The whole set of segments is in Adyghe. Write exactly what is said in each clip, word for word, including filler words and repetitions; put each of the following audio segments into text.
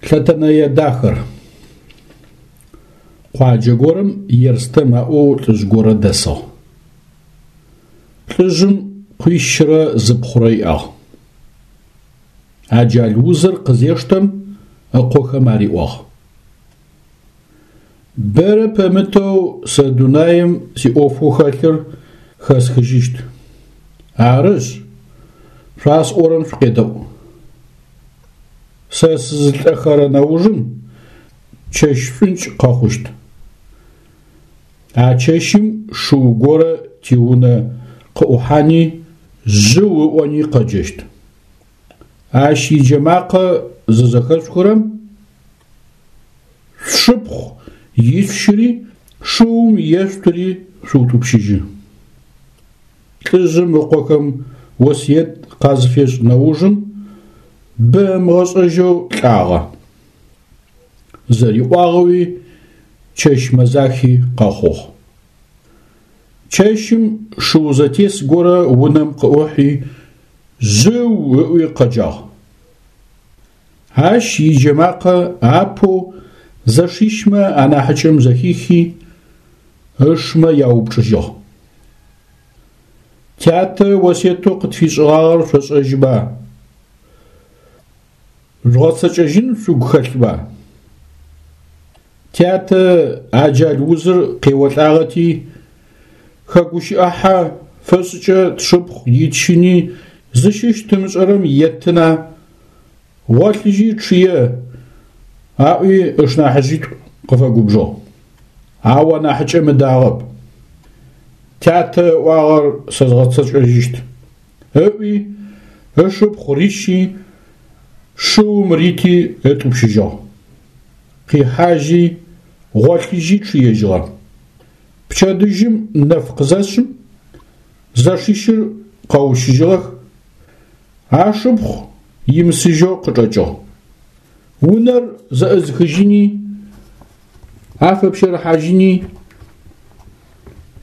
Лъэтэнэе дахэр. Къуаджэ горэм Ерстэм аӏоу лӏыжъ горэ дэсыгъ. Лӏыжъым къуищрэ зы пхъурэ иӏагъ. Аджал узыр къызештэм ыкъохэм ариӏуагъ: Бэрэ пэмытэу сэ дунаим сиӏофэу хэлъыр хэсхыжьыщт. Арышъ, шъуасӏорэм шъукъедэӏу. Сэ сызылӏэхэрэ нэужым чэщ шӏункӏ къэхъущт. А чэщым шыу горэ тиунэ къыӏухьани жъыу ыӏони къэджэщт. Ащ иджэмакъэ зызэхэшъухырэм шъушыпхъу ишъущыри шыум ешъутыри шъуутӏупщыжьы. Лӏыжъым ыкъохэм осыет къазыфешӏ нэужым бэ ымыгъэшӏэжьэу лӏагъэ. Зэриӏуагъэуи чэщ мэзахи къэхъугъ. Чэщым шыу зэтес горэ унэм къыӏухьи жъыу ыӏуи къэджагъ. Ащ иджэмакъэ апэу зэшищмэ анахьыкӏэм зэхихи, ышмэ яупчӏыжьыгъ: Тятэ осыетэу къытфишӏыгъагъэр шъошӏэжьыба? Жъугъэцэкӏэжьын шъугу хэлъба? Тятэ аджал узыр къеолӏагъэти, хэгущыӏэхьэ фэшӏыкӏэ тшыпхъу итщыни зыщыщ тымышӏэрэм еттына, гъолъыжьи чъые, аӏуи ышнахьыжъитӏу къыфэгубжыгъ. Ау анахьыкӏэм ыдагъэп. Тятэ ыӏуагъэр сэ згъэцэкӏэжьыщт, ыӏуи ышыпхъу рищи, шыум рити ытӏупщыжьыгъ. Къихьажьи, гъолъыжьи чъыежьыгъэ. Пчэдыжьым нэф къызэшъым, зэшищыр къэущыжьыгъэх, ашыпхъу имысыжьэу къычӏэкӏыгъ. Унэр зэӏызыхыжьыни, афэпщэрыхьажьыни,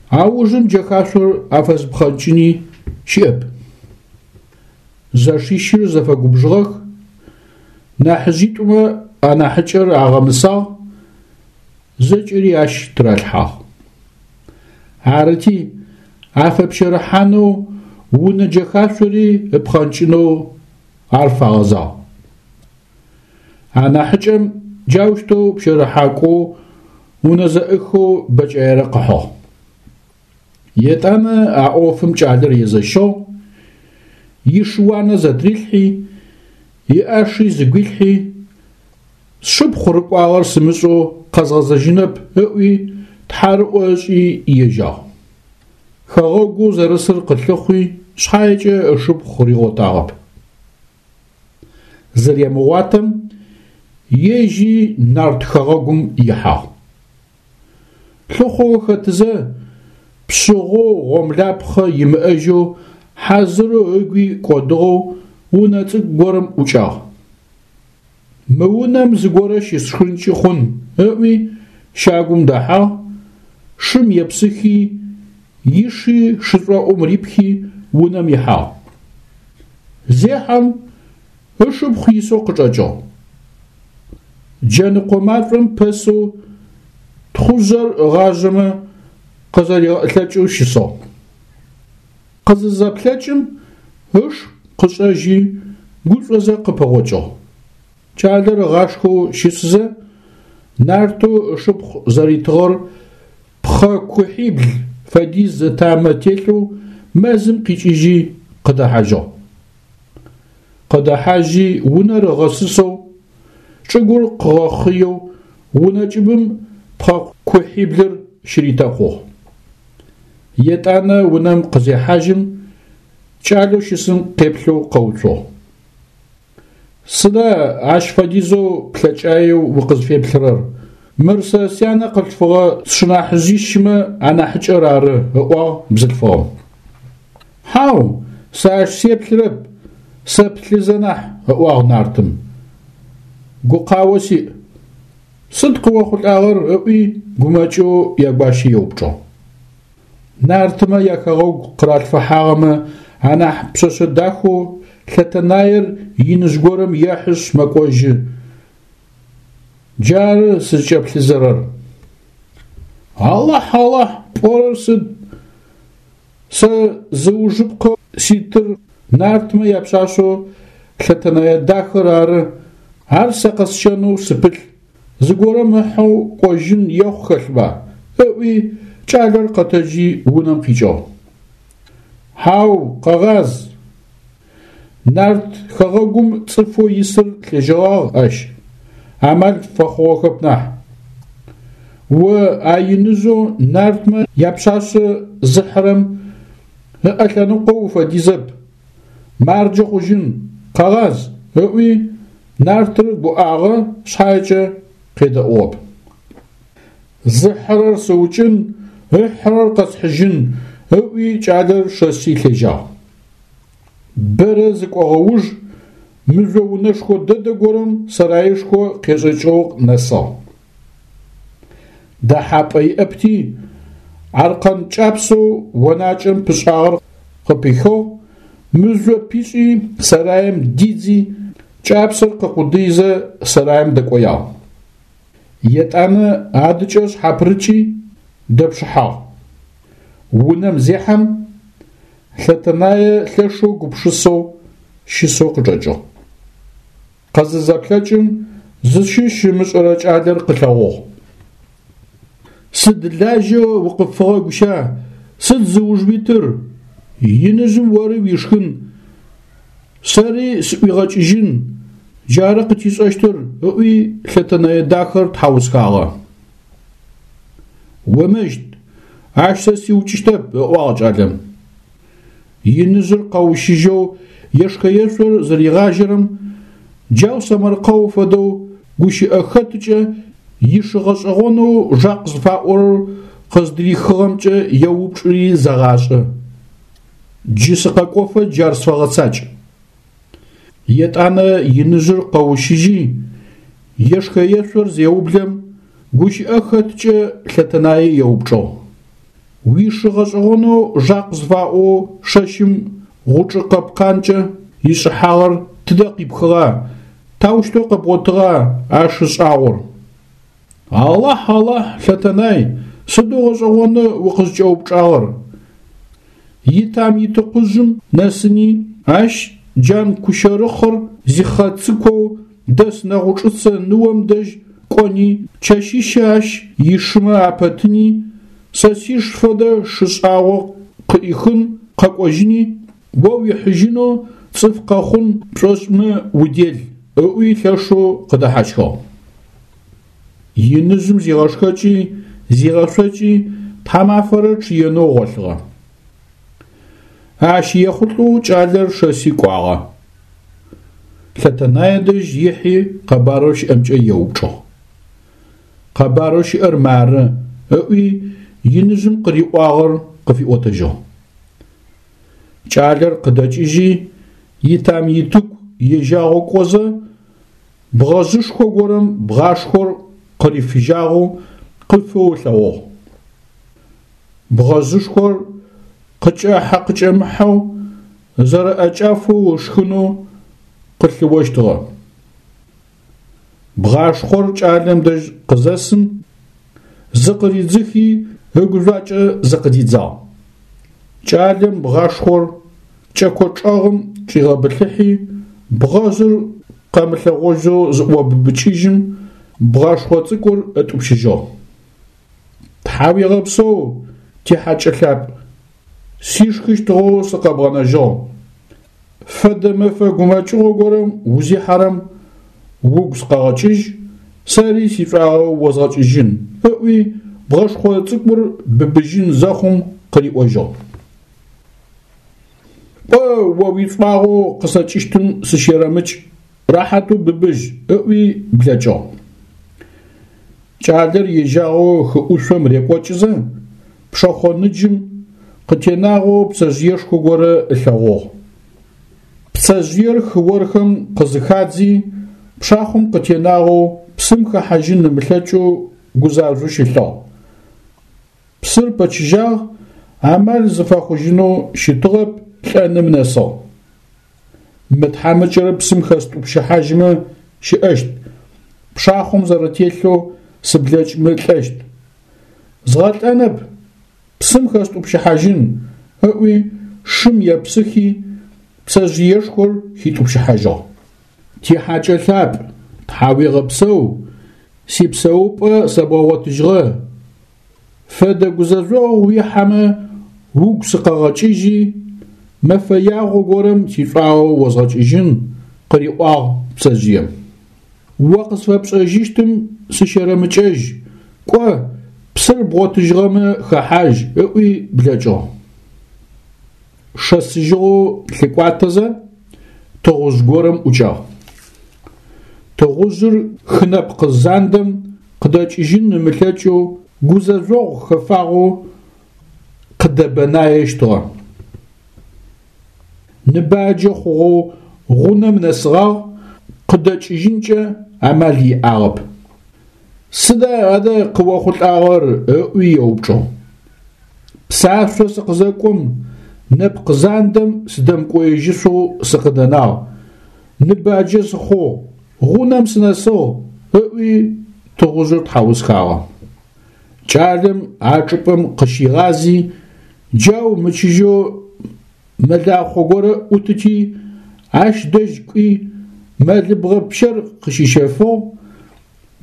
аужым джэхашъор афэзыпхъэнкӏыни щыӏэп. Зэшищыр зэфэгубжыгъэх, нахьыжъитӏумэ анахьыкӏэр агъэмысагъ, зэкӏэри ащ тыралъхьагъ. Арыти, афэпщэрыхьанэу унэ джэхашъори ыпхъэнкӏынэу ар фагъэзагъ. Анахьыкӏэм джаущтэу пщэрыхьакӏоу унэ зэӏыхэу бэкӏаерэ къыхьыгъ. Етӏанэ а ӏофым кӏалэр езэщыгъ, ишыуанэ зэтырилъхьи, иӏаши зыгуилъхьи, сшыпхъу рыкӏуагъэр сымышӏэу къэзгъэзэжьынэп ыӏуи тхьарыӏо ышӏи ежьагъ. Хэгъэгоу зэрысыр къылъыхъуи шъхьаекӏэ ышыпхъу ригъотагъэп. Зэремыгъуатэм ежьи нарт хэгъэгум ихьагъ. Лъыхъоу хэтызэ, пшъыгъэу гъомлапхъэ имыӏэжьэу хьазырэу ыгуи кӏодыгъэу унэ цӏыкӏу горэм ӏукӏагъ. Мы унэм зыгорэ щысшхынкӏи хъун ыӏуи щагум дэхьагъ, шым епсыхи, иши шышӏоӏум рипхи унэм ихьагъ. Зехьэм ышыпхъу исэу къычӏэкӏыгъ. Джэныкъо машӏом пэсэу тхъужъэр ыгъажъэмэ къызэригъэӏылъэкӏэу щысыгъ. Къызызэплъэкӏым ыш къышӏэжьи гушӏозэ къыпэгъокӏыгъ. Кӏалэр ыгъашхэу щысызэ, нартэу ышыпхъу зэритыгъэр пхъэ кухьибл фэдиз ытамэ телъэу мэзым къикӏыжьи къыдэхьажьыгъ. Къыдэхьажьи унэр ыгъэсысэу, чӏыгур къыгъэхъыеу унэ кӏыбым пхъэ кухьиблыр щыритэкъугъ. Етӏанэ унэм къызехьажьым, кӏалэу щысым къеплъэу къэуцугъ. Сыда ащ фэдизэу плъэкӏаеу укъызфеплъырэр? Мыр сэ сянэ къылъфыгъэ сшынахьыжъищмэ анахьыкӏэр ары, ыӏуагъ бзылъфыгъэм. Хьау, сэ ащ сеплъырэп, сэплъызэ нахь, ыӏуагъ нартым. Гукъао сиӏ. Сыд къыохъулӏагъэр ыӏуи гумэкӏэу ягуащэ еупчӏыгъ. Нартымэ яхэгъэгу къыралъфыхьагъэмэ анахь пшъэшъэ дахэу Лъэтэнаер иныжъ горэм ехьышъ мэкӏожьы. Джары сызкӏэплъызэрэр. Алахь, Алахь, пӏорэр сыд? Сэ зыужыпкъэ ситыр нартмэ япшъашъэу Лъэтэнэе дахэр ары, ар сэ къэсщэнэу сыпылъ, зыгорэм ыхьэу кӏожьын ехъу хэлъба? Ыӏуи кӏалэр къэтэджи унэм къикӏыгъ. Хьау, къэгъаз! Нарт хэгъэгум цӏыфэу исыр лъежьэгъагъ ащ, амал фэхъугъэхэп нахь. О а иныжъэу нартмэ япшъашъэ зыхьырэм ыӏэ лъэныкъо уфэдизэп, марджэ хъужьын, къэгъаз! Ыӏуи нартыр гуӏагъэ шъхьаекӏэ къедэӏугъэп. Зыхьырэр сыукӏын, ыхьырэр къэсхьыжьын, ыӏуи кӏалэр шэси лъежьагъ. Бэрэ зыкӏогъэ уж мыжъо унэшхо дэдэ горэм сэраишхо къешӏэкӏыгъэу нэсыгъ. Дэхьапӏэ иӏэпти, аркъэн кӏапсэу онакӏэм пышӏагъэр къыпихыгъ, мыжъо пишӏи сэраим дидзи, кӏапсэр къыкъудыизэ сэраим дэкӏоягъ. Етӏанэ адыкӏэ шъхьапырыкӏи дэпшыхьагъ. Унэм зехьэм, Лъэтэнае лъэшэу гупшысэу щысэу къычӏэкӏыгъ. Къызызэплъэкӏым зыщыщ ымышӏэрэ кӏалэр къылъэгъугъ. Сыд лажьэ укъыпфыгъэ гуща, сыд зыуж уитыр, иныжъым ори уишхын, сэри сыӏуигъэкӏыжьын, джары къытишӏэщтыр, ыӏуи Лъэтэнэе дахэр тхьаусхагъэ. Омэщт, ащ сэ сиукӏыщтэп, ыӏуагъ кӏалэм. Иныжъыр къэущыжьэу ешхэ-ешъор зыригъажьэрэм, джау сэмэркъэу фэдэу гущыӏэ хэтыкӏэ ишы гъэшӏэгъонэу Жакъ зыфаӏорэр къыздырихыгъэмкӏэ еупчӏыри зэгъашӏэ. Джы сыкъэкӏофэ джар сфэгъэцакӏ. Етӏанэ иныжъыр къэущыжьи, ешхэ-ешъор зеублэм, гущыӏэ хэткӏэ Лъэтэнае еупчӏыгъ. Уишы гъэшӏэгъонэу Жакъ зыфаӏоу шэщым гъучӏы къэпкъанкӏэ ишӏыхьагъэр тыдэ къипхыгъа, таущтэу къэбгъотыгъа а шы шӏагъор? Алахь, Алахь, Лъэтэнай, сыдэу гъэшӏэгъоны укъызкӏэупчӏагъэр. Итам-итыкъужъым нэсыни, ащ джан кущэрыхъыр зихъэцыкоу дэс нэгъучӏыцэ ныом дэжь кӏони, чэщищэ ащ ишымэ апэтыни, сэ сиш фэдэ шы шӏагъо къыӏихын къэкӏожьыни, о уихьыжьынэу цӏыф къэхъун пшӏошӏмэ удел, ыӏуи лъэшэу къыдэхьащхыгъ. Иныжъым зигъэшхэкӏи, зигъэшъокӏи тхьамафэрэ чъыенэу гъолъыгъэ. Ащ ехъулӏэу кӏалэр шэси кӏуагъэ. Лъэтэнае дэжь ихьи къэбарэу щыӏэмкӏэ еупчӏыгъ. Къэбарэу щыӏэр мары, ыӏуи иныжъым къыриӏуагъэр къыфиӏотэжьыгъ. Кӏалэр къыдэкӏыжьи, итам-итыку ежьагъэу кӏозэ, бгъэжъышхо горэм бгъашхъор къырифыжьагъэу къыфэу ылъэгъугъ. Бгъэжъышхор къыкӏэхьэ-къыкӏэмыхьэу зэрэӏэкӏафэу ышхынэу къылъыощтыгъэ. Бгъашхъор кӏалэм дэжь къызэсым, зыкъыридзыхи ыгужъуакӏэ зыкъыдидзагъ. Кӏалэм бгъашхъор кӏэко чӏэгъым чӏигъэбылъыхьи, бгъэжъыр къэмылъэгъожьэу зыӏобыбыкӏыжьым, бгъашхъо цӏыкӏур ытӏупщыжьыгъ. Тхьауегъэпсэу, тихьакӏэ лъапӏ, сишхыщтыгъэу сыкъэбгъэнэжьыгъ. Фэдэ мэфэ гумэкӏыгъо горэм узихьэрэм угу сыкъэгъэкӏыжь, сэри сишӏуагъэ озгъэкӏыжьын, ыӏуи бгъэшхъо цӏыкӏур быбыжьын зэхъум къыриӏожьыгъ. Кӏо, о уишӏуагъэу къысэкӏыщтым сыщерэмыкӏ, рэхьатэу быбыжь, ыӏуи блэкӏыгъ. Кӏалэр ежьагъэу хы ӏушъом рекӏокӏызэ, пшэхъо ныджым къытенагъэу пцэжъыешхо горэ ылъэгъугъ. Пцэжъыер хыорхэм къызыхадзи, пшахъом къытенагъэу псым хэхьажьын ымылъэкӏэу гузажъоу щылъыгъ. Псыр пэчыжьагъ, амал зыфэхъужьынэу щытыгъэп, лӏэным нэсыгъ. Мы тхьамыкӏэр псым хэстӏупщыхьажьымэ щыӏэщт, Пшахъом зэрэтелъэу сыблэкӏмэ лӏэщт. Згъэлӏэнэп, псым хэстӏупщыхьажьын, ыӏуи шым епсыхи пцэжъыешхор хитӏупщыхьажьыгъ. Тихьакӏэ лъапӏ, тхьауегъэпсэу, сипсэупӏэ сэбгъэгъотыжьыгъэ. Фэдэ гузэжъогъу уихьэмэ угу сыкъэгъэкӏыжьи, мэфэ ягъо горэм сишӏуагъэ озгъэкӏыжьын, къыриӏуагъ пцэжъыем. О къысфэпшӏэжьыщтым сыщэрэмыкӏэжь, кӏо, псыр бгъотыжьыгъэмэ хэхьажь, ыӏуи блэкӏыгъ. Шэсыжьыгъэу лъыкӏуатэзэ тыгъужъ горэм ӏукӏагъ. Тыгъужъыр хы нэпкъ зандэм къыдэкӏыжьын ымылъэкӏэу гузэжъогъу хэфагъэу къыдэбэнаещтыгъэ. Ныбаджэ хъугъэу гъунэм нэсыгъагъ, къыдэкӏыжьынкӏэ амал иӏагъэп. Сыда адэ къыохъулӏагъэр? Ыӏуи еупчӏыгъ. Псашъо сыкъызэкӏом нэпкъ зандэм сыдэмыкӏоежьышъоу сыкъыдэнагъ, ныбаджэ сыхъугъ, гъунэм сынэсыгъ, ыӏуи тыгъужъыр тхьаусхагъэ. Кӏалэм а чӏыпӏэм къыщигъази, джау мычыжьэу мэлахъо горэ ӏутыти, ащ дэжь кӏуи мэлыбгъэ пщэр къыщищэфыгъ,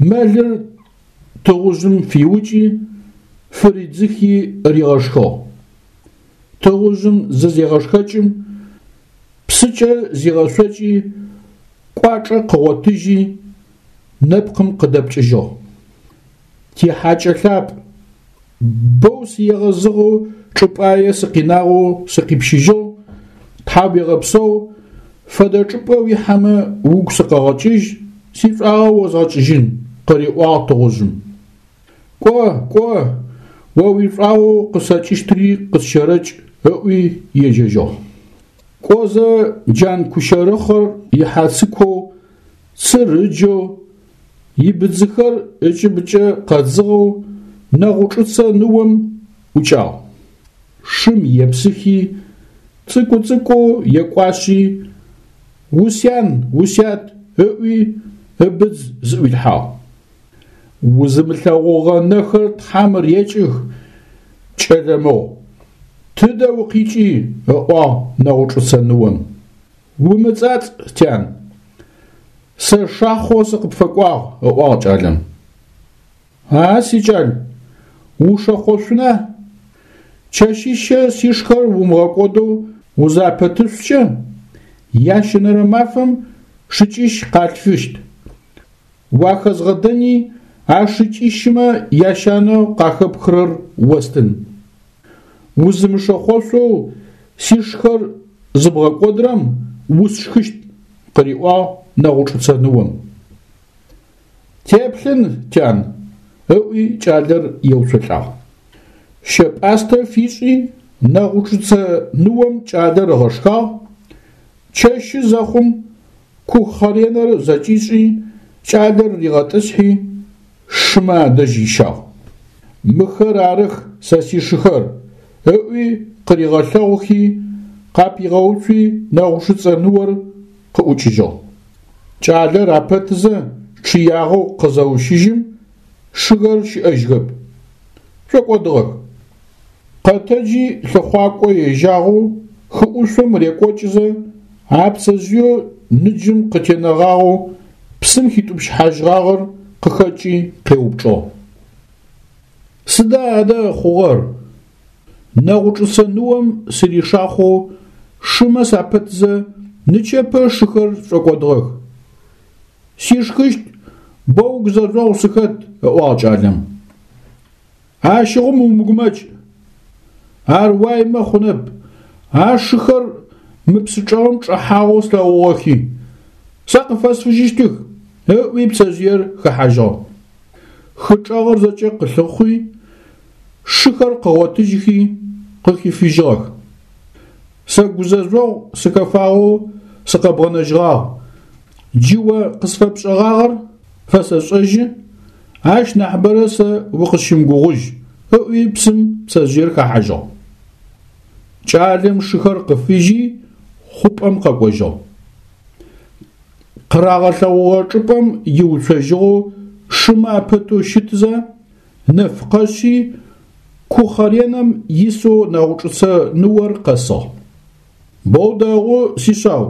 мэлыр тыгъужъым фиукӏи, фыридзыхи ригъэшхыгъ. Тыгъужъым зызегъэшхэкӏым, псыкӏэ зигъэшъокӏи, кӏуачӏэ къыгъотыжьи, нэпкъым къыдэпкӏыжьыгъ. Тихьакӏэ лъапӏ, боу сыегъэзыгъэу чӏыпӏае сыкъинагъэу сыкъипщыжьыгъ, тхьауегъэпсэу, фэдэ чӏыпӏэ уихьэмэ угу сыкъэгъэкӏыжь, сишӏуагъэ озгъэкӏыжьын, къыриӏуагъ тыгъужъым. Кӏо, кӏо, о уишӏуагъэу къысэкӏыщтри къысщэрэкӏ, ыӏуи ежьэжьыгъ. Кӏозэ джан кущэрыхъыр ихьацыкоу, цыр ыджэу, ибыдзыхэр ыкӏыбыкӏэ къэдзыгъэу нэгъучӏыцэ ныом ӏукӏагъ. Шым епсыхи, цӏыкӏу-цӏыкӏоу екӏуашъи, усян, усят ыӏуи ыбыдз зыӏуилъхьагъ. Узымылъэгъугъэ нэхэр Тхьэм рекӏых, кӏэлэ мыгъу. Тыдэ укъикӏи, ыӏуагъ нэгъучӏыцэ ныом. Умыцӏацӏ, тян. Сэ шахъо сыкъыпфэкӏуагъ, ыӏуагъ кӏалэм. А сикӏал, ушэхъошъуна? Чэщищэ сишхэр умыгъэкӏодэу узапэтышъукӏэ, ящэнэрэ мафэм шыкӏищ къалъфыщт. Уахэзгъэдэни а шыкӏищмэ ящанэу къахэпхырэр остын. Узымышэхъошъоу сишхэр зыбгъэкӏодырэм усшхыщт, къыриӏуагъ нэгъучӏыцэ ныом. Теплъын, тян, ыӏуи кӏалэр еуцолӏагъ. Щэ-пӏастэ фишӏи, нэгъучӏыцэ ныом кӏалэр ыгъэшхагъ, чэщы зэхъум кухъэренэр зэкӏишӏи, кӏалэр ригъэтӏысхьи, шымэ адэжь ищагъ. Мыхэр арых сэ сишыхэр, ыӏуи къыригъэлъэгъухи, къапигъэуцуи нэгъучӏыцэ ныор къыӏукӏыжьыгъ. Кӏалэр апэтызэ чъыягъэу къызэущыжьым, шыхэр щыӏэжьхэп, шӏокӏодыгъэх. Къэтэджи лъыхъуакӏо ежьагъэу хыӏушъом рекӏокӏызэ, а пцэжъыеу ныджым къытенэгъагъэу псым хитӏупщыхьажьыгъагъэр къыхэкӏи къеупчӏыгъ. Сыда адэ хъугъэр? Нэгъучӏыцэ ныом сыришахъоу шымэ сапэтызэ нычэпэ шыхэр шӏокӏодыгъэх. Сишхыщт, боу гузэжъогъу сыхэт, ыӏуагъ кӏалэм. Ащыгъум умыгумэкӏ. Ар уаймэ хъунэп. А шыхэр мы псы чӏэгъым чӏэхьагъэу слъэгъугъэхи, сэ къыфэсфыжьыщтых, ыӏуи пцэжъыер хэхьажьыгъ. Хы чӏэгъыр зэкӏэ къылъыхъуи, шыхэр къыгъотыжьхи, къыхифыжьыгъэх. Сэ гузэжъогъу сыхэфагъэу сыкъэбгъэнэжьыгъагъ. Джы о къысфэпшӏэгъагъэр фэсэшӏэжьы, ащ нахьыбэрэ сэ укъысщымыгугъужь, ыӏуи псым пцэжъыер хэхьажьыгъ. Кӏалэм шыхэр къыфыжьи, хъупӏэм къэкӏожьыгъ. Къырагъэлъэгъугъэ чӏыпӏэм иуцожьыгъэу шымэ апэтэу щытызэ, нэф къэшъи, кухъэренэм исэу Нэгъучӏыцэ ныор къэсыгъ. Боу дэгъу, сишъау,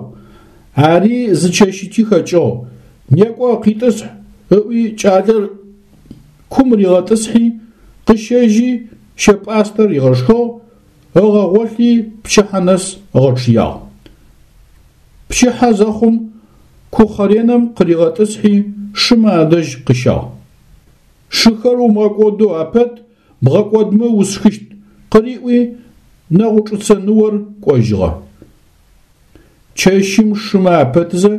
ари зы чэщыти хэкӏыгъ, некӏо къитӏысхь, ыӏуи кӏалэр кум ригъэтӏысхьи, къыщэжьи, щэ-пӏастэ ригъэшхыгъ, ыгъэгъолъи пчыхьэ нэс ыгъэчъыягъ. Пчыхьэ зэхъум кухъэренэм къыригъэтӏысхьи, шымэ адэжь къыщагъ. Шыхэр умыгъэкӏодэу апэт, бгъэкӏодмэ усшхыщт, къыриӏуи, Нэгъучӏыцэ ныор кӏожьыгъэ. Чэщым шымэ апэтызэ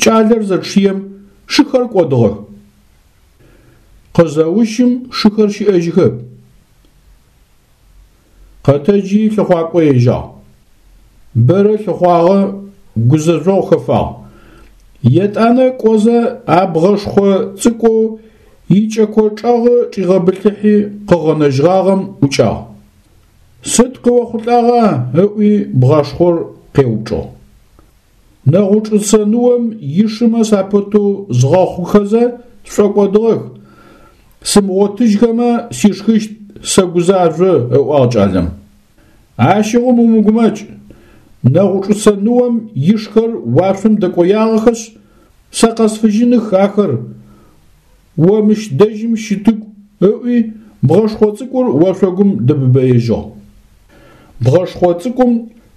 кӏалэр зэчъыем шыхэр кӏодыгъэх. Къызэущым шыхэр щыӏэжьыхэп. Къэтэджи лъыхъуакӏо ежьагъ. Бэрэ лъыхъуагъэ, гузэжъогъу хэфагъ. Етӏанэ кӏозэ а бгъэшхъо цӏыкӏоу икӏэко чӏэгъы чӏигъэбылъыхьи къыгъэнэжьыгъагъэм ӏукӏагъ. Сыд къыохъулӏагъа? ыӏуи бгъашхъор къеупчӏыгъ. Нэгъучӏыцэ ныом ишымэ сапэтэу згъэхъухэзэ сшӏокӏодыгъэх. Сымыгъотыжьхэмэ сишхыщт, сэгузажъо, ыӏуагъ кӏалэм. Ащыгъум умыгумэкӏ, Нэгъучӏыцэ ныом ишхэр уашъом дэкӏоягъэхэшъ, сэ къэсфыжьыных ахэр, о мыщ дэжьым щытыгу, ыӏуи бгъэшхъо цӏыкӏур ошъогум дэбыбэежьыгъ. Бгъэшхъо цӏыкӏум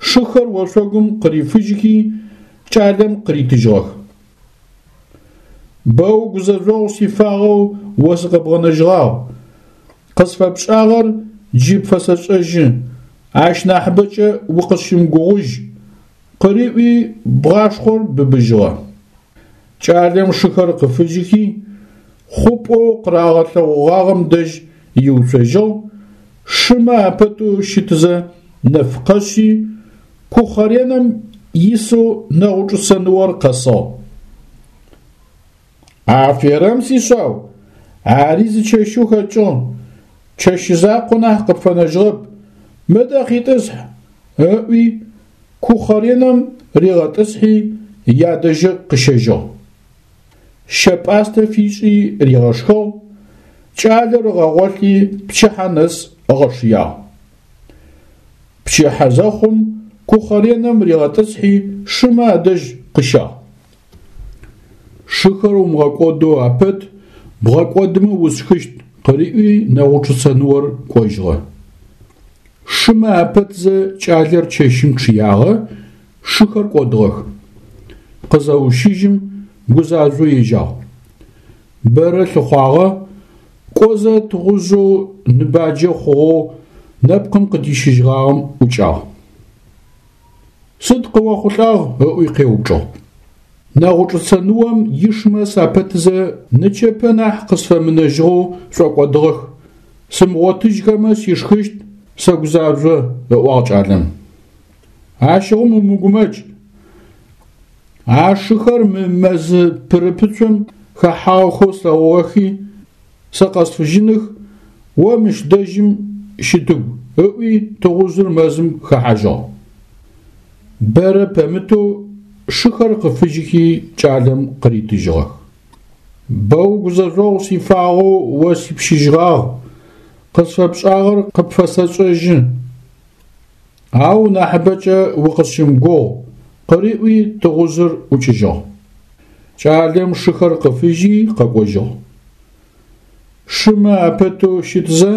шыхэр ошъогум къырифыжьхи, кӏалэм къыритыжьыгъэх. Боу гузэжъогъу сифагъэу о сыкъэбгъэнэжьыгъагъ. Къысфэпшӏагъэр джы пфэсэшӏэжьы, ащ нахьыбэкӏэ укъысщымыгугъужь, къыриӏуи бгъашхъор быбыжьыгъэ. Кӏалэм шыхэр къыфыжьыхи, хъупӏэу къырагъэлъэгъугъагъэм дэжь иуцожьыгъ, шымэ апэтэу щытызэ нэф къэшъи, кухъэренэм исэу Нэгъучӏыцэ ныор къэсыгъ. Аферэм, сишъау, ари зы чэщэу хэкӏыгъ, чэщ закъо нахь къыпфэнэжьыгъэп, мыдэ къитӏысхь, ыӏуи кухъэренэм ригъэтӏысхьи, ядэжьы къыщэжьыгъ. Щэ-пӏастэ фишӏи ригъэшхыгъ, кӏалэр ыгъэгъолъи пчыхьэ нэс ыгъэчъыягъ. Пчыхьэ зэхъум кухъэренэм ригъэтӏысхьи, шымэ адэжь къыщагъ. Шыхэр умыгъэкӏодэу апэт, бгъэкӏодмэ усшхыщт, къыриӏуи Нэгъучӏыцэ ныор кӏожьыгъэ. Шымэ апэтзэ кӏалэр чэщым чъыягъэ, шыхэр кӏодыгъэх. Къызэущыжьым гузажъоу ежьагъ. Бэрэ лъыхъуагъэ, кӏозэ тыгъужъэу ныбаджэ хъугъэу нэпкъым къыдищыжьыгъагъэм ӏукӏагъ. Сыд къыохъулӏагъ? ыӏуи къеупчӏыгъ. Нэгъучӏыцэ ныом ишымэ сапэтызэ нычэпэ нахь къысфэмынэжьыгъэу шӏокӏодыгъэх. Сымыгъотыжьхэмэ сишхыщт, сэгузажъо, ыӏуагъ кӏалэм. Ащыгъум умыгумэкӏ, а шыхэр мы мэзы пырыпыцум хэхьагъэхэу слъэгъугъэхи, сэ къэсфыжьыных, о мыщ дэжьым щытыгу, ыӏуи тыгъужъыр мэзым хэхьажьыгъ. Бэрэ пэмытэу шыхэр къыфыжьыхи кӏалэм къыритыжьыгъэх. Боу гузэжъогъу сифагъэу о сипщыжьыгъагъ, къысфэпшӏагъэр къыпфэсэшӏэжьы, ау нахьыбэкӏэ укъысщымыгугъ, къыриӏуи тыгъужъыр ӏукӏыжьыгъ. Кӏалэм шыхэр къыфыжьи къэкӏожьыгъ. Шымэ апэтэу щытызэ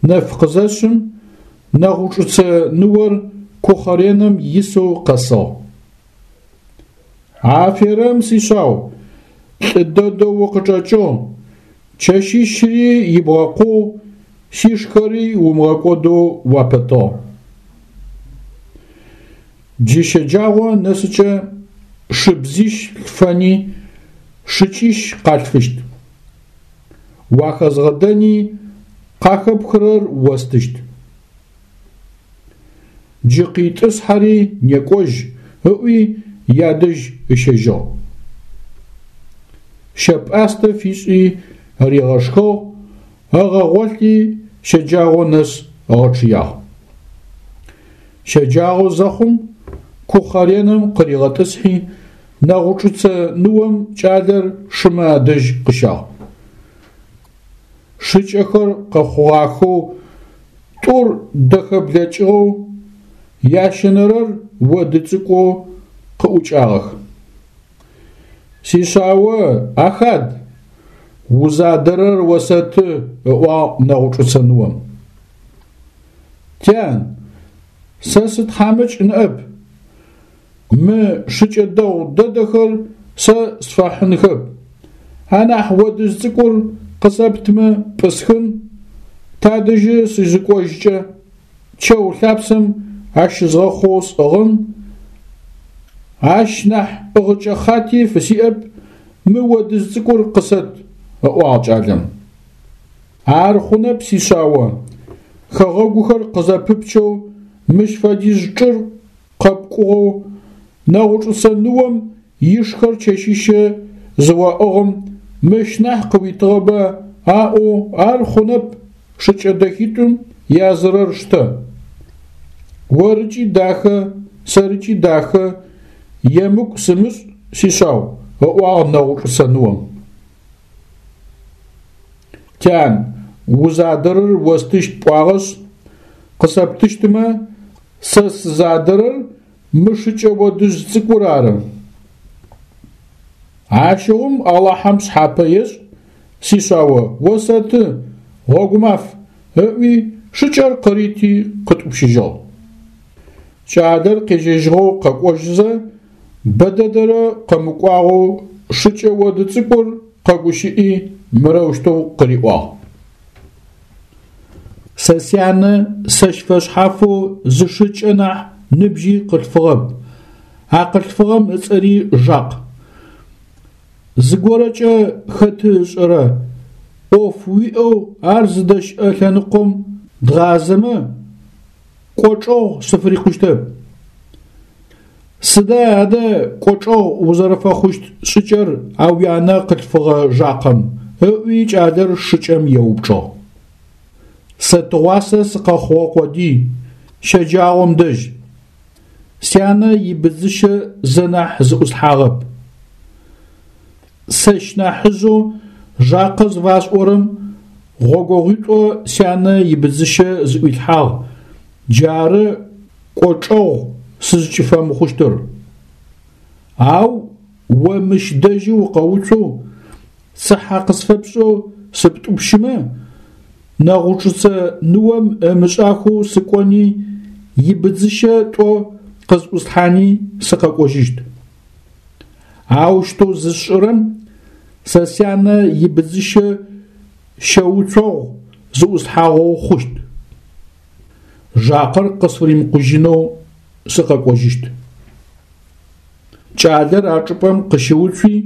нэф къызэшъым, Нэгъучӏыцэ ныор кухъэренэм исэу къэсыгъ. Аферэм, сишъау, лӏы дэдэу укъычӏэкӏыгъ, чэщищри ибгъэкъугъ, сишхэри умыгъэкӏодэу уапэтыгъ. Джы щэджагъо нэсыкӏэ шыбзищ лъфэни шыкӏищ къалъфыщт. Уахэзгъэдэни къахэпхырэр остыщт. Джы къитӏысхьэри некӏожь, ыӏуи ядэжь ыщэжьыгъ. Щэ-пӏастэ фишӏи ригъэшхыгъ, ыгъэгъолъи щэджагъо нэс ыгъэчъыягъ. Щэджагъо зэхъум кухъэренэм къыригъэтӏысхьи, Нэгъучӏыцэ ныом кӏалэр шымэ адэжь къыщагъ. Шыкӏэхэр къэхъугъахэу, тӏур дэхэ блэкӏыгъэу, ящэнэрэр оды цӏыкӏоу къыӏукӏагъэх. Сишъао, ахад, узадэрэр осэты, ыӏуагъ Нэгъучӏыцэ ныом. Тян, сэ сытхьамыкӏ ныӏэп. Мы шыкӏэ дэгъу дэдэхэр сэ сфэхьынхэп. Анахь одыжъ цӏыкӏур къысэптмэ пӏысхын, тадэжьы сызыкӏожькӏэ, чэу лъапсэм ащызгъэхъоу сӏыгъын, ащ нахь ӏыгъыкӏэ хъати фысиӏэп, мы одыжъ цӏыкӏур къысэт, ыӏуагъ кӏалэм. Ар хъунэп, сишъао, хэгъэгухэр къызэпыпчэу мыщ фэдиз чӏыр къэпкӏугъэу Нэгъучӏыцэ ныом ишхэр чэщищэ зыоӏыгъым мыщ нахь къыуитыгъэба аӏоу ар хъунэп шыкӏэ дэхитӏум язырэр штэ. Орыкӏи дахэ, сэрыкӏи дахэ, емыкӏу сымышӏ, сишъау, ыӏуагъ Нэгъучӏыцэ ныом. Тян, узадэрэр остыщт пӏуагъэшъ, къысэптыщтымэ, сэ сызадэрэр мы шыкӏэ одыжъ цӏыкӏур ары. Ащыгъум Алахьэм шъхьапэ ешӏ, сишъао, осэты, гъогумаф, ыӏуи шыкӏэр къырити къытӏупщыжьыгъ. Кӏалэр къежьэжьыгъэу къэкӏожьызэ, бэдэдэрэ къэмыкӏуагъэу шыкӏэ оды цӏыкӏур къэгущыӏи мырэущтэу къыриӏуагъ. Сэ сянэ сэщ фэшъхьафэу зы шыкӏэ нахь ныбжьи къылъфыгъэп, а къылъфыгъэм ыцӏэри Жакъ. Зыгорэкӏэ хэты ышӏэрэ, ӏоф уиӏэу ар зыдэщыӏэ лъэныкъом дгъазэмэ, кӏочӏэгъу сыфырикъущтэп. Сыда адэ кӏочӏэгъу узэрэфэхъущт шӏыкӏэр а уянэ къылъфыгъэ Жакъэм? Ыӏуи кӏалэр шыкӏэм еупчӏыгъ. Сэ тыгъуасэ сыкъэхъугъэ къодый, щэджагъом дэжь. Сянэ ибыдзыщэ зэ нахь зыӏуслъхьагъэп. Сэщ нахьыжъэу Жакъэ зыфасӏорэм гъогогъуитӏо сянэ ибыдзыщэ зыӏуилъхьагъ, джары кӏочӏэгъу сызкӏыфэмыхъущтыр. Ау о мыщ дэжьы укъэуцоу, цыхьэ къысфэпшӏэу сыптӏупщымэ, Нэгъучӏыцэ ныом ымышӏахэу сыкӏони ибыдзыщэ тӏо къызӏуслъхьани сыкъэкӏожьыщт. Аущтэу зысшӏырэм сэ сянэ ибыдзыщэ щэуцогъу зыӏуслъхьагъэу хъущт. Жакъэр къысфыримыкъужьынэу сыкъэкӏожьыщт. Кӏалэр а чӏыпӏэм къыщыуцуи,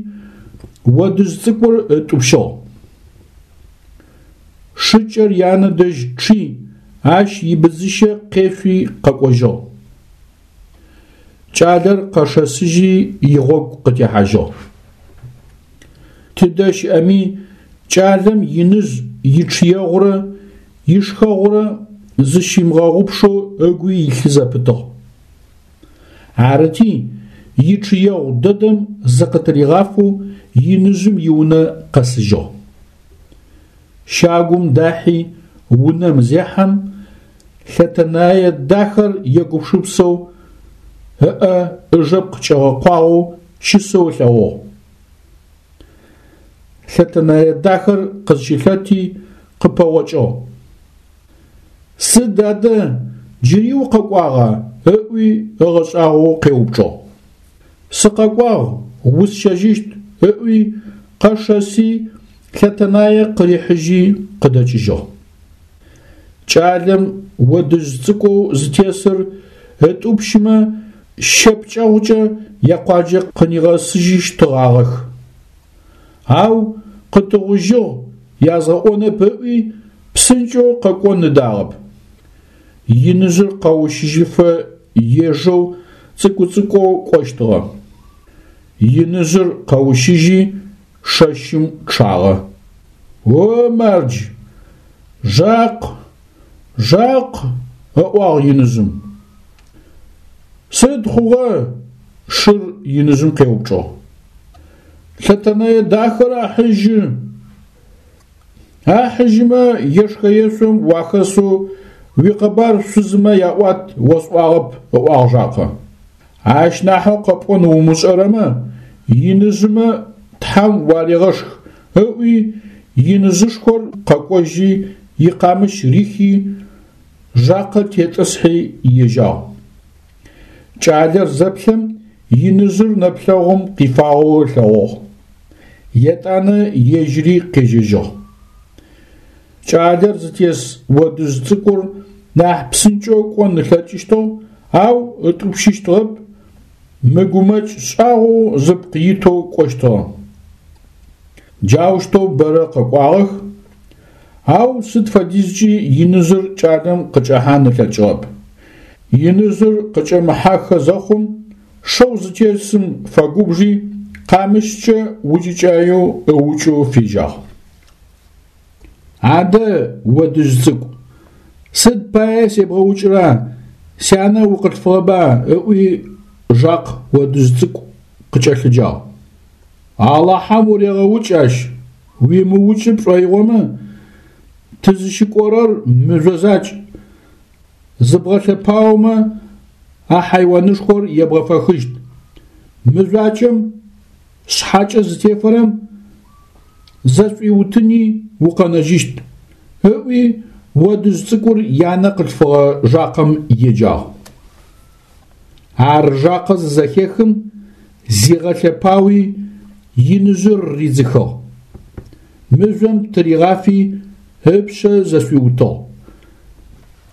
одыжъ цӏыкӏур ытӏупщыгъ. Шыкӏэр янэ дэжь чъи, ащ ибыдзыщэ къешъуи къэкӏожьыгъ. Кӏалэр къэшэсыжьи игъогу къытехьажьыгъ. Тыдэ щыӏэми кӏалэм иныжъ ичъыегъурэ ишхэгъурэ зыщимыгъэгъупшэу ыгу илъы зэпытыгъ. Арыти, ичъыегъу дэдэм зыкъытыригъафэу иныжъым иунэ къэсыжьыгъ. Щагум дахьи унэм зехьэм, лъэтэнае дахэр егупшысэу ыӏэ ыжэпкъ кӏэгъэкъуагъэу щысэу ылъэгъугъ. Лъэтэнэе дахэр къызщылъэти къыпэгъокӏыгъ. Сыд адэ, джыри укъэкӏуагъа? Ыӏуи ыгъэшӏагъоу къеупчӏыгъ. Сыкъэкӏуагъ, усщэжьыщт, ыӏуи къэшэси лъэтэнае къырихьыжьи къыдэкӏыжьыгъ. Кӏалэм одыжъ цӏыкӏоу зытесыр ытӏупщымэ щэ пкӏэгъукӏэ якъуаджэ къынигъэсыжьыщтыгъагъэх. Ау къытыгъужьыгъ язгъэӏонэп ыӏуи псынкӏэу къэкӏон ыдагъэп. Иныжъыр къэущыжьыфэ ежэу цӏыкӏу-цӏыкӏоу кӏощтыгъэ. Иныжъыр къэущыжьи шэщым чъагъэ. О мардж, Жакъ, Жакъ, ыӏуагъ иныжъым. Сыд хъугъэ? Шыр иныжъым къеупчӏыгъ. Лъэтэнэе дахэр ахьыжьы. Ахьыжьымэ ешхэ-ешъом уахэсэу уикъэбар шъузымэ яӏуат осӏуагъэп, ыӏуагъ Жакъэ. Ащ нахьэу къэпӏон умышӏэрэмэ, иныжъымэ тхьам уарегъэшх, ыӏуи иныжъышхор къэкӏожьи икъамыщ рихи Жакъэ тетӏысхьи ежьагъ. Кӏалэр зэплъэм иныжъыр нэплъэгъум къифагъэу ылъэгъугъ. Етӏанэ ежьыри къежьэжьыгъ. Кӏалэр зытес одыжъ цӏыкӏур нахь псынкӏэу кӏон ылъэкӏыщтыгъ, ау ытӏупщыщтыгъэп, мыгумэкӏ шӏагъоу зыпкъ итэу кӏощтыгъэ. Джаущтэу бэрэ къэкӏуагъэх, ау сыд фэдизкӏи иныжъыр кӏалэм къыкӏэхьан ылъэкӏыгъэп. Иныжъыр къыкӏэмыхьахэ зэхъум, шэу зытесым фэгубжи, къамыщкӏэ укӏыкӏаеу ыукӏэу фежьагъ. Адэ, одыжъ цӏыкӏу, сыд пае себгъэукӏыра, сянэ укъылъфыгъэба, ыӏуи Жакъ одыжъ цӏыкӏу къыкӏэлъыджагъ. Алахьэм урегъэукӏ ащ, уимыукӏы пшӏоигъомэ, тызыщыкӏорэр мыжъо закӏ, зыбгъэлъэпаомэ а хьайуанышхор ебгъэфэхыщт. Мыжъуакӏэм шъхьакӏэ зытефэрэм зэшӏуиутыни укъэнэжьыщт, ыӏуи одыжъ цӏыкӏур янэ къылъфыгъэ Жакъэм еджагъ. Ар Жакъэ зызэхехым, зигъэлъэпауи иныжъыр ридзыхыгъ. Мыжъом тыригъафи ыпшъэ зэшӏуиутыгъ.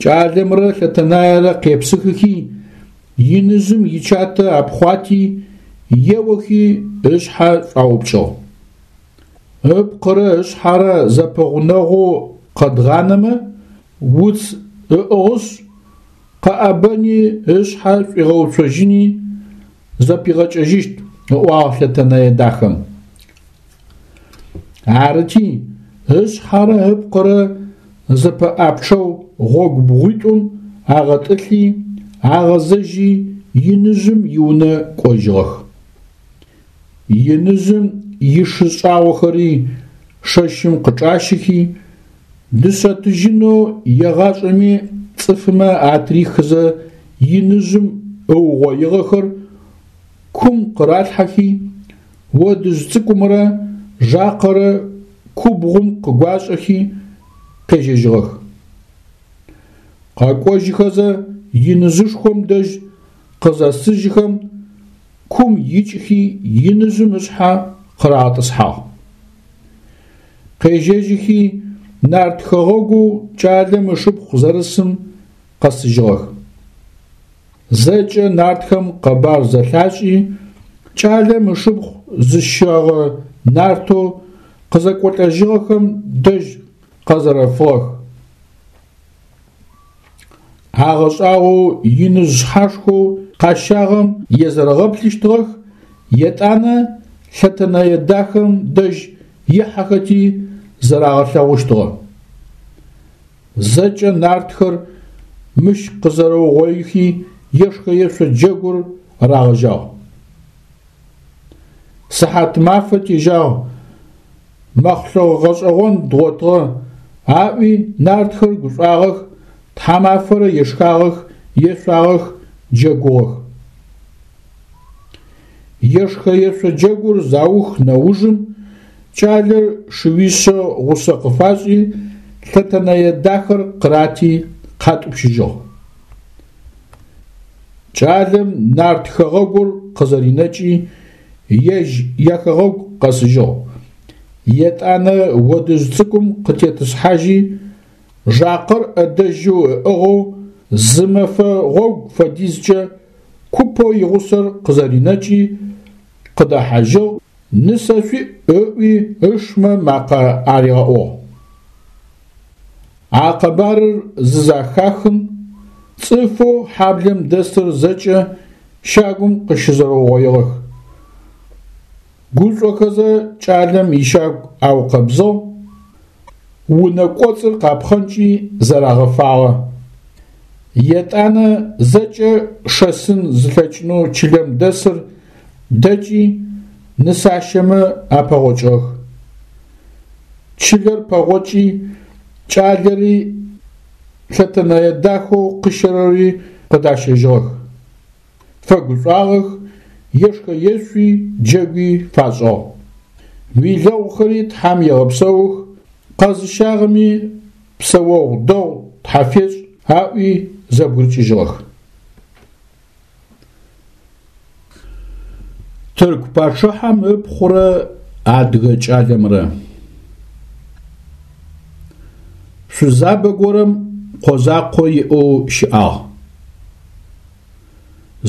Кӏалэмрэ Лъэтэнаерэ къепсыхыхи, иныжъым ичатэ апхъуати, еохи ышъхьэ шӏуаупкӏыгъ. Ыпкъырэ ышъхьэрэ зэпэгъунэгъоу къэдгъанэмэ, уц ыӏыгъышъ, къэӏэбэни ышъхьэ шӏуигъэуцожьыни зэпигъэкӏэжьыщт, ыӏуагъ Лъэтэнэе дахэм. Арыти, ышъхьэрэ ыпкъырэ зэпэӏапчъэу гъогу бгъуитӏум агъэтӏылъи, агъэзэжьи иныжъым иунэ кӏожьыгъэх. Иныжъым ишы шӏагъохэри шэщым къычӏащыхи, дышъэ-тыжьынэу егъашӏэми цӏыфымэ атрихызэ иныжъым ыугъоигъэхэр кум къыралъхьэхи, одыжъ цӏыкӏумрэ Жакъэрэ кубгъум къыгуашӏэхи къежьэжьыгъэх. Къэкӏожьыхэзэ иныжъышхом дэжь къызэсыжьхэм, кум икӏхи иныжъым ышъхьэ къырагъэтӏысхьагъ. Къежьэжьыхи нарт хэгъэгоу кӏалэм ышыпхъу зэрысым къэсыжьыгъэх. Зэкӏэ нартхэм къэбар зэлъашӏи, кӏалэм ышыпхъу зыщэгъэ нартэу къызэкӏолӏэжьыгъэхэм дэжь къэзэрэфыгъэх. Агъэшӏагъоу иныжъ шъхьашхоу къащагъэм езэрэгъэплъыщтыгъэх, етӏанэ Лъэтэнэе дахэм дэжь ихьэхэти зэрагъэлъэгъущтыгъэ. Зэкӏэ нартхэр мыщ къызэрэугъоихи ешхэ-ешъо джэгур рагъэжьагъ. Сыхьат мафэ тежьагъ, мэхълъэгъу гъэшӏэгъон дгъотыгъэ, аӏуи нартхэр гушӏуагъэх, тхьамафэрэ ешхагъэх, ешъуагъэх, джэгугъэх. Ешхэ-ешъо джэгур заух нэужым кӏалэр шыуишъэ гъусэ къыфашӏи, Лъэтэнэе дахэр къырати къатӏупщыжьыгъ. Кӏалэм нарт хэгъэгур къызэринэкӏи, ежь яхэгъэгу къэсыжьыгъ. Етӏанэ одыжъ цӏыкӏум къытетӏысхьажьи, Жакъэр ӏэдэжьэу ыӏыгъэу зы мэфэ гъогу фэдизкӏэ купэу игъусэр къызэринэкӏи къыдэхьажьыгъ, нысэ шъуиӏ ыӏуи ышмэ макъэ аригъэӏугъ. А къэбарыр зызэхахым, цӏыфэу хьаблэм дэсыр зэкӏэ щагум къыщызэрэугъоигъэх. Гушӏохэзэ кӏалэм ищагу аукъэбзыгъ, унэ кӏоцӏыр къапхъэнкӏи зэрагъэфагъэ. Етӏанэ зэкӏэ шэсын зылъэкӏынэу чылэм дэсыр дэкӏи нысащэмэ апэгъокӏыгъэх. Чылэр пэгъокӏи, кӏалэри лъэтэнэе дахэу къыщэрэри къыдащэжьыгъэх. Фэгушӏуагъэх, ешхэ-ешъуи, джэгуи фашӏыгъ. Уилэгъухэри Тхьэм егъэпсэух, къэзыщагъэми псэогъу дэгъу Тхьафешӏ аӏуи зэбгырыкӏыжьыгъэх. Тырку пачъыхьэм ыпхъурэ адыгэ кӏалэмрэ. Шъузабэ горэм къо закъо иӏэу щыӏагъ.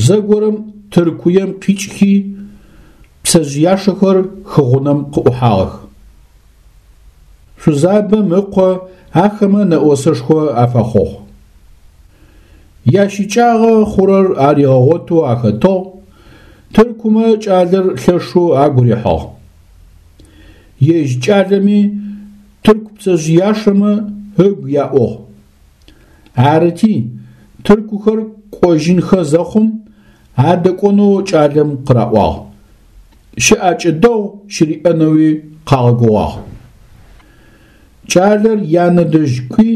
Зэгорэм Тыркуем къикӏхи пцэжъыяшэхэр хыгъунэм къыӏухьагъэх. Шъузабэм ыкъо ахэмэ нэӏосэшхо афэхъугъ. Ящыкӏагъэ хъурэр аригъэгъотэу ахэтыгъ, тыркумэ кӏалэр лъэшэу агу рихьыгъ. Ежь кӏалэми тырку пцэжъыяшэмэ ыгу яӏугъ. Арыти, тыркухэр кӏожьынхэ зэхъум адэкӏонэу кӏалэм къыраӏуагъ. Щыӏакӏэ дэгъу щыриӏэнэуи къагъэгугъагъ. Кӏалэр янэ дэжь кӏуи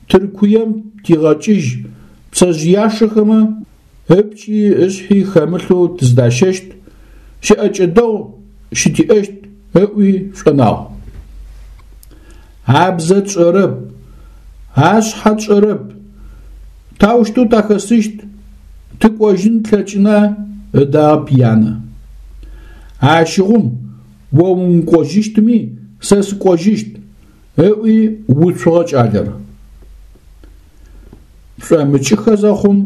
Тыркуем тигъэкӏыжь пцэжъыяшэхэмэ ыпкӏи ышъхьи хэмылъэу тыздащэщт, щыӏэкӏэ дэгъу щытиӏэщт ыӏуи шӏонагъ. Абзэ тшӏэрэп, ашъхьэ тшӏэрэп, таущтэу тахэсыщт, тыкӏожьын тлъэкӏына ыдагъэп янэ. Ащыгъум о умыкӏожьыщтми сэ сыкӏожьыщт, ыӏуи уцугъэ кӏалэр. Шӏомыкӏыхэ зэхъум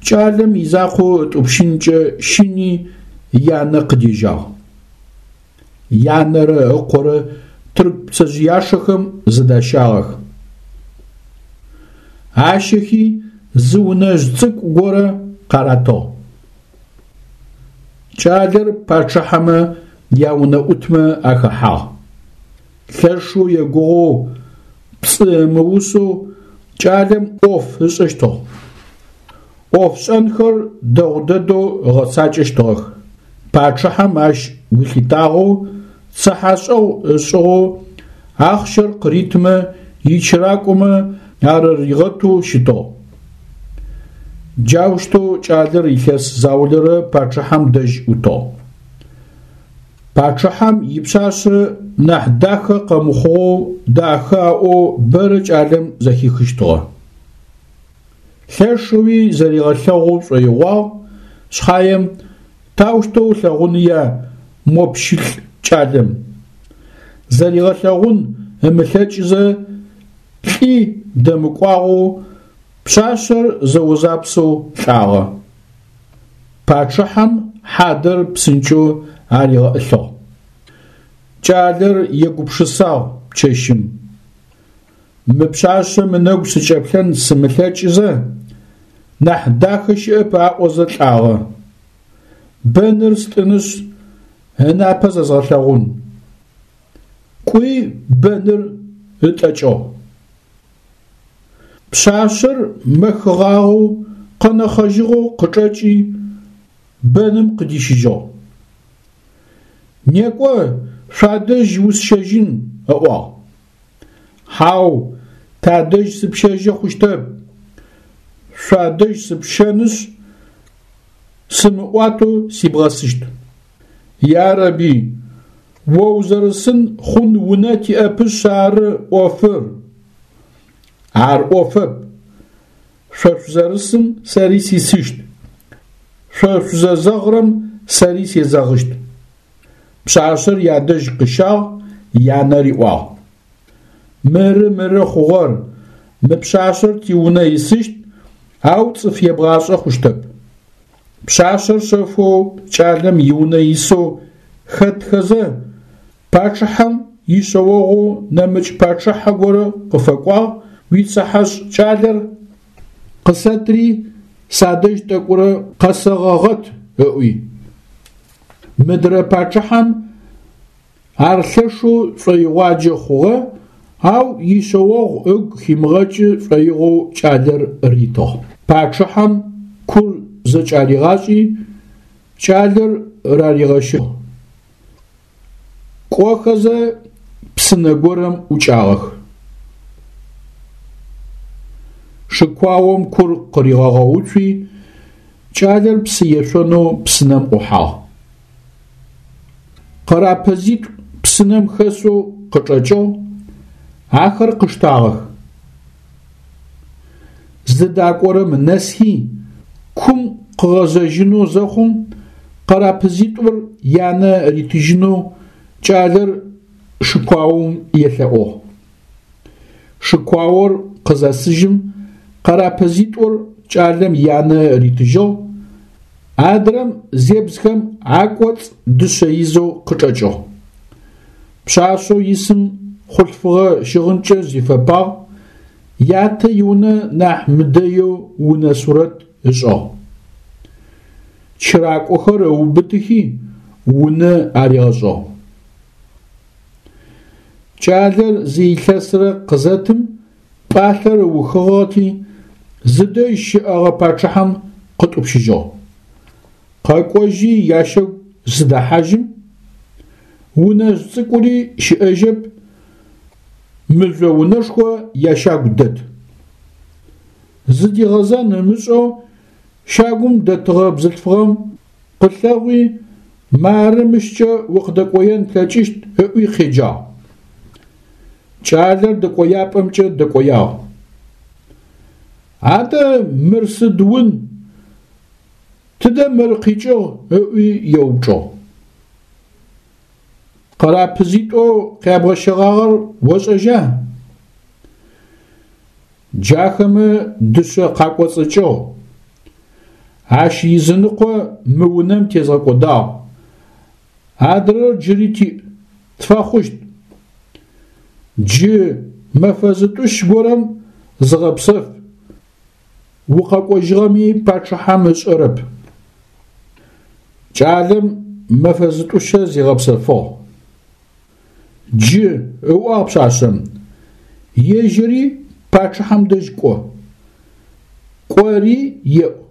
кӏалэм изакъоу ытӏупщынкӏэ щыни янэ къыдежьагъ. Янэрэ ыкъорэ тырку пцэжъыяшэхэм зыдащагъэх. Ащэхи зы унэжъ цӏыкӏу горэ къаратыгъ. Кӏалэр пачъыхьэмэ яунэӏутмэ ахэхьагъ. Лъэшэу егугъоу, пцӏы ымыусэу кӏалэм ӏоф ышӏэщтыгъ. Ӏофшӏэнхэр дэгъу дэдэу ыгъэцакӏэщтыгъэх. Пачъыхьэм ащ гу лъитагъэу, цыхьэшӏэгъу ышӏыгъэу, ахъщэр къыритымэ ичыракӏомэ арыригъэтэу щытыгъ. Джаущтэу кӏалэр илъэс заулэрэ пачъыхьэм дэжь ӏутыгъ. Пачъыхьэм ипшъашъэ нахь дахэ къэмыхъугъэу дахэ аӏоу бэрэ кӏалэм зэхихыщтыгъэ. Лъэшэуи зэригъэлъэгъу шӏоигъуагъ, шъхьаем таущтэу ылъэгъуныя мо пщылӏ кӏалэм. Зэригъэлъэгъун ымылъэкӏызэ лӏи дэмыкӏуагъэу пшъашъэр зэозапсэу лӏагъэ. Пачъыхьэм хьадэр псынкӏэу аригъэӏылъыгъ. Кӏалэр егупшысагъ чэщым. Мы пшъашъэм ынэгу сыкӏэплъэн сымылъэкӏызэ, нахь дахэ щыӏэп аӏозэ лӏагъэ. Бэныр стӏынышъ, ынапэ зэзгъэлъэгъун. Кӏуи бэныр ытӏэкӏыгъ. Пшъашъэр мэхыгъагъэу, къэнэхъэжьыгъэу къычӏэкӏи, бэным къыдищыжьыгъ. Некӏо, шъуадэжь усщэжьын, ыӏуагъ. Хьау, тадэжь сыпщэжьы хъущтэп. Шъуадэжь сыпщэнышъ, сымыӏуатэу сибгъэсыщт. Ярэби, о узэрысын хъун унэ тиӏэпышъ ары ӏофыр. Ар ӏофэп. Шъо шъузэрысым сэри сисыщт. Шъо шъузэзэгъырэм сэри сезэгъыщт. Пшъашъэр ядэжь къыщагъ, янэ риӏуагъ. Мыры мыры хъугъэр, мы пшъашъэр тиунэ исыщт, ау цӏыф ебгъашӏэ хъущтэп. Пшъашъэр шъэфэу кӏалэм иунэ исэу хэтхэзэ, пачъыхьэм ишъэогъоу нэмыкӏ пачъыхьэ горэ къыфэкӏуагъ, уицыхьэшӏ кӏалэр къысэтри садэжь тӏэкӏурэ къэсэгъэгъэт ыӏуи. Мыдрэ пачъыхьэм ар лъэшэу шӏоигъуаджэ хъугъэ, ау ишъэогъу ыгу химыгъэкӏы шӏоигъоу кӏалэр ритыгъ. Пачъыхьэм кур зэкӏаригъашӏи, кӏалэр раригъэщыгъ. Кӏохэзэ псынэ горэм ӏукӏагъэх. Шыкуаом кур къыригъэгъэуцуи, кӏалэр псы ешъонэу псынэм ӏухьагъ. Къэрапэзитӏу псынэм хэсэу къычӏэкӏыгъ, ахэр къыштагъэх. Зыдакӏорэм нэсхи, кум къыгъэзэжьынэу зэхъум, къэрапэзитӏур янэ ритыжьынэу кӏалэр шыкуаом елъэӏугъ. Шыкуаор къызэсыжьым, къэрапэзитӏур кӏалэм янэ ритыжьыгъ, адрэм зебзхэм акӏоцӏ дышъэ изэу къычӏэкӏыгъ. Пшъашъэу исым хъулъфыгъэ щыгъынкӏэ зифэпагъ, ятэ иунэ нахь мыдэеу унэ сурэт ышӏыгъ. Чыракӏохэр ыубытыхи унэ аригъэшӏыгъ. Кӏалэр зы илъэсрэ къызэтым пӏалъэр ыухыгъэти, зыдэжь щыӏэгъэ пачъыхьэм къытӏупщыжьыгъ. Къэкӏожьи ящагу зыдэхьажьым, унэжъ цӏыкӏури щыӏэжьэп, мыжъо унэшхо ящагу дэт. Зыдигъэзэн ымышӏэу щагум дэтыгъэ бзылъфыгъэм къылъэгъуи, мары мыщкӏэ укъыдэкӏоен плъэкӏыщт ыӏуи къеджагъ. Кӏалэр дэкӏояпӏэмкӏэ дэкӏоягъ. Адэ мыр сыд ун? Тыдэ мыр къикӏыгъ ыӏуи еупчӏыгъ. Къэрапэзитӏоу къябгъэщэгъагъэр ошӏэжьа? Джахэмэ дышъэ къакӏоцӏыкӏыгъ. Ащ изыныкъо мы унэм тезгъэкӏодагъ. Адрэр джыри тиӏ, тфэхъущт. Джы мэфэ зытӏущ горэм зыгъэпсэф, укъэкӏожьыгъэми пачъыхьэм ышӏэрэп. Кӏалэм мэфэ зытӏущэ зигъэпсэфыгъ. Джы, ыӏуагъ пшъашъэм, ежьыри пачъыхьэм дэжь кӏо. Кӏори еӏу.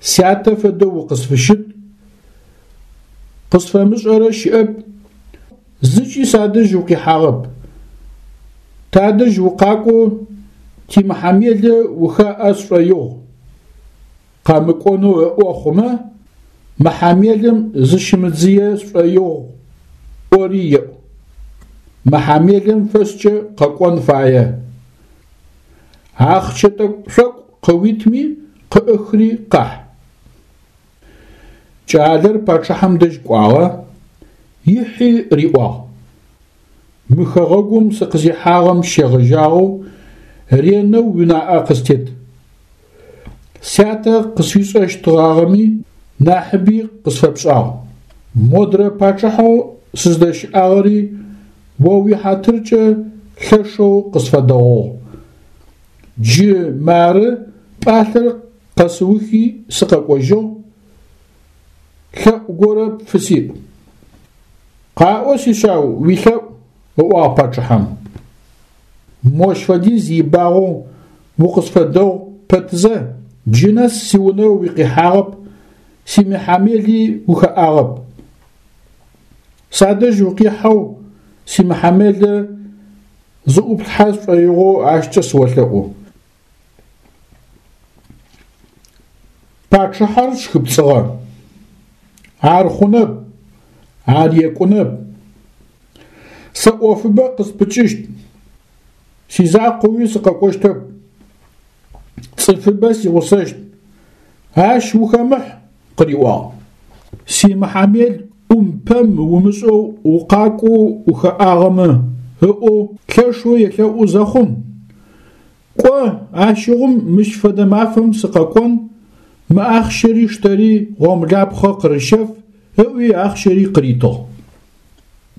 Сятэ фэдэу укъысфыщыт, къысфэмышӏэрэ щыӏэп, зыкӏи садэжь укъихьагъэп. Тадэжь укъакӏоу тимыхьамелэ ухаӏэ сшӏоигъу. Къэмыкӏонэу ыӏо хъумэ, мыхьамелым зыщымыдзые сшӏоигъу ӏори еӏу. Мыхьамелэм фэшӏкӏэ къэкӏон фае. Ахъщэ тӏэкӏу-шъокӏу къыуитми къыӏыхри къахь. Кӏалэр пачъыхьэм дэжь кӏуагъэ, ихьи риӏуагъ: Мы хэгъэгум сыкъызихьагъэм щегъэжьагъэу ренэу уинаӏэ къыстет. Сятэ къысфишӏэщтыгъагъэми нахьыби къысфэпшӏагъ. Модрэ пачъыхьэу сыздэщыӏагъэри о уихьатыркӏэ лъэшэу къысфэдэгъугъ. Джы мары пӏалъэр къэсыухи сыкъэкӏожьыгъ, лъэӏу горэ пфысиӏ. Къаӏо, сишъау, уилъэӏу, ыӏуагъ пачъыхьэм. Мощ фэдиз ибагъэу укъысфэдэгъу пэтзэ, джы нэс сиунэ уикъихьагъэп, симыхьамели ухэӏагъэп. Садэжь укъихьэу симыхьамелэ зыӏуплъхьэ сшӏоигъоу ащкӏэ сыолъэӏу. Пачъыхьэр щхыпцӏыгъэ. Ар хъунэп, ар екӏунэп. Сэ ӏофыбэ къыспыкӏыщт. Сизакъоуи сыкъэкӏощтэп. Цӏыфыбэ сигъусэщт. Ащ ухэмыхь, къыриӏуагъ. Симыхьамел ӏум-пэм умышӏэу укъакӏоу ухэӏагъэмэ, ыӏоу лъэшэу елъэӏу зэхъум, кӏо, ащыгъум мыщ фэдэ мафэм сыкъэкӏон, мы ахъщэри штэри гъомлапхъэ къырыщэф, ыӏуи ахъщэри къыритыгъ.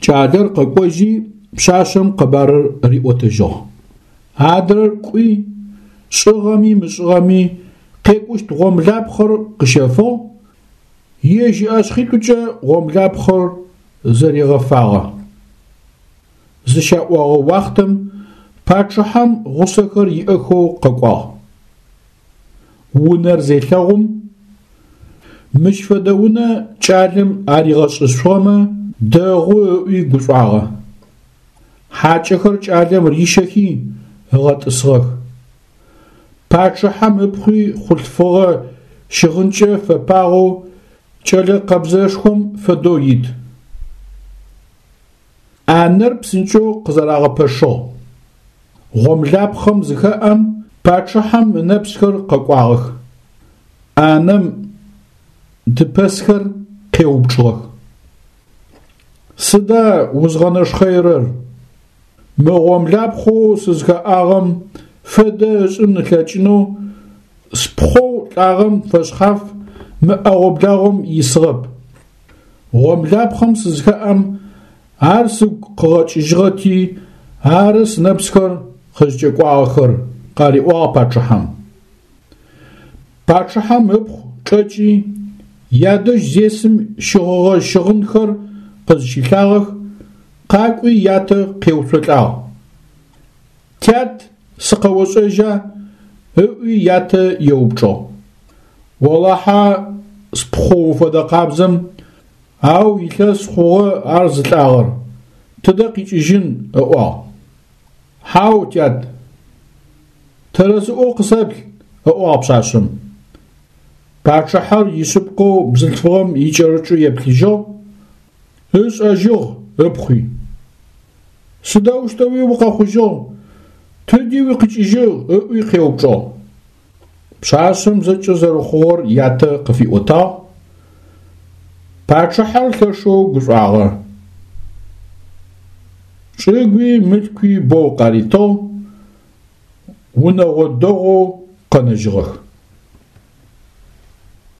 Кӏалэр къэкӏожьи пшъашъэм къэбарыр риӏотэжьыгъ. Адрэр кӏуи, шӏыгъэми мышӏыгъэми къекӏущт гъомлапхъэр къыщэфыгъ, ежь ыӏэшъхьитӏукӏэ гъомлапхъэр зэригъэфагъэ. Зыщаӏогъэ уахътэм пачъыхьэм гъусэхэр иӏэхэу къэкӏуагъ. Унэр зелъэгъум, мыщ фэдэ унэ кӏалэм аригъэшӏышъугъэмэ дэгъу ыӏуи гушӏуагъэ. Хьакӏэхэр кӏалэм рищэхи ыгъэтӏысыгъэх. Пачъыхьэм ыпхъуи хъулъфыгъэ щыгъынкӏэ фэпагъэу кӏэлэ къэбзэшхом фэдэу ит. Ӏанэр псынкӏэу къызэрагъэпэшыгъ. Гъомлапхъэм зыхэӏэм пачъыхьэм ынэпсхэр къэкӏуагъэх. Ӏанэм дыпэсхэр къеупчӏыгъэх: Сыда узгъэнэшхъэирэр? Мы гъомлапхъэу сызхэӏагъэм фэдэ ышӏын ылъэкӏынэу спхъоу лӏагъэм фэшъхьаф мы ӏэгъо-благъом исыгъэп. Гъомлапхъэм сызхэӏэм ар сыгу къыгъэкӏыжьыгъэти ары сынэпсхэр къызкӏэкӏуагъэхэр, къариӏуагъ пачъыхьэм. Пачъыхьэм ыпхъу чӏэкӏи ядэжь зесым щыгъыгъэ щыгъынхэр къызщилъагъэх, къакӏуи ятэ къеуцолӏагъ. Тят, сыкъэошӏэжьа? Ыӏуи ятэ еупчӏыгъ. Олахьэ спхъу уфэдэ къабзэм, ау илъэс хъугъэ ар зылӏагъэр, тыдэ къикӏыжьын, ыӏуагъ. Хьау, тят, тэрэзыӏоу къысэплъ, ыӏуагъ пшъашъэм. Пачъыхьэр ишъыпкъэу бзылъфыгъэм икӏэрыкӏэу еплъыжьыгъ, ышӏэжьыгъ ыпхъуи. Сыдэущтэуи укъэхъужьыгъ, тыди укъикӏыжьыгъ, ыӏуи къеупчӏыгъ. Пшъашъэм зэкӏэ зэрэхъугъэр ятэ къыфиӏотагъ. Пачъыхьэр лъэшэу гушӏуагъэ. Чӏыгуи мылъкуи боу къаритыгъ, унэгъо дэгъоу къэнэжьыгъэх.